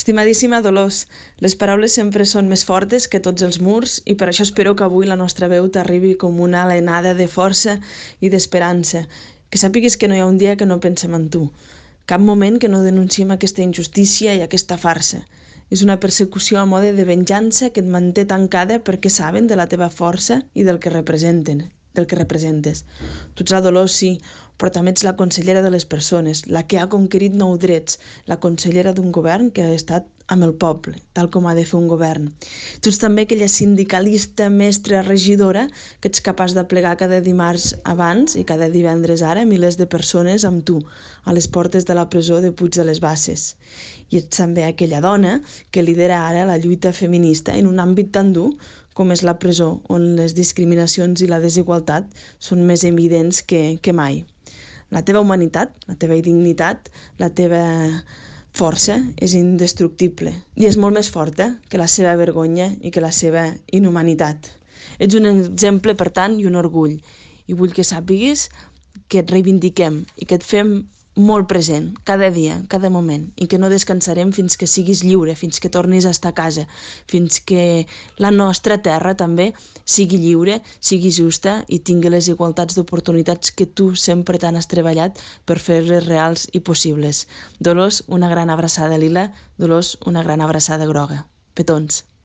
Estimadíssima Dolors, les paraules sempre són més fortes que tots els murs i per això espero que avui la nostra veu t'arribi com una alenada de força i d'esperança. Que sàpigues que no hi ha un dia que no pensem en tu. Cap moment que no denunciem aquesta injustícia i aquesta farsa. És una persecució a mode de venjança que et manté tancada perquè saben de la teva força i del que representen. Del que representes. Tu ets la Dolors, sí, però també ets la consellera de les persones, la que ha conquerit nous drets, la consellera d'un govern que ha estat amb el poble, tal com ha de fer un govern. Tu ets també aquella sindicalista, mestra, regidora, que ets capaç de plegar cada dimarts abans i cada divendres ara milers de persones amb tu, a les portes de la presó de Puig de les Basses. I ets també aquella dona que lidera ara la lluita feminista en un àmbit tan dur com és la presó, on les discriminacions i la desigualtat són més evidents que mai. La teva humanitat, la teva dignitat, la teva força és indestructible i és molt més forta que la seva vergonya i que la seva inhumanitat. Ets un exemple, per tant, i un orgull. I vull que sàpigues que et reivindiquem i que et fem molt present, cada dia, cada moment, i que no descansarem fins que siguis lliure, fins que tornis a estar a casa, fins que la nostra terra també sigui lliure, sigui justa i tingui les igualtats d'oportunitats que tu sempre tant has treballat per fer-les reals i possibles. Dolors, una gran abraçada lila. Dolors, una gran abraçada groga. Petons.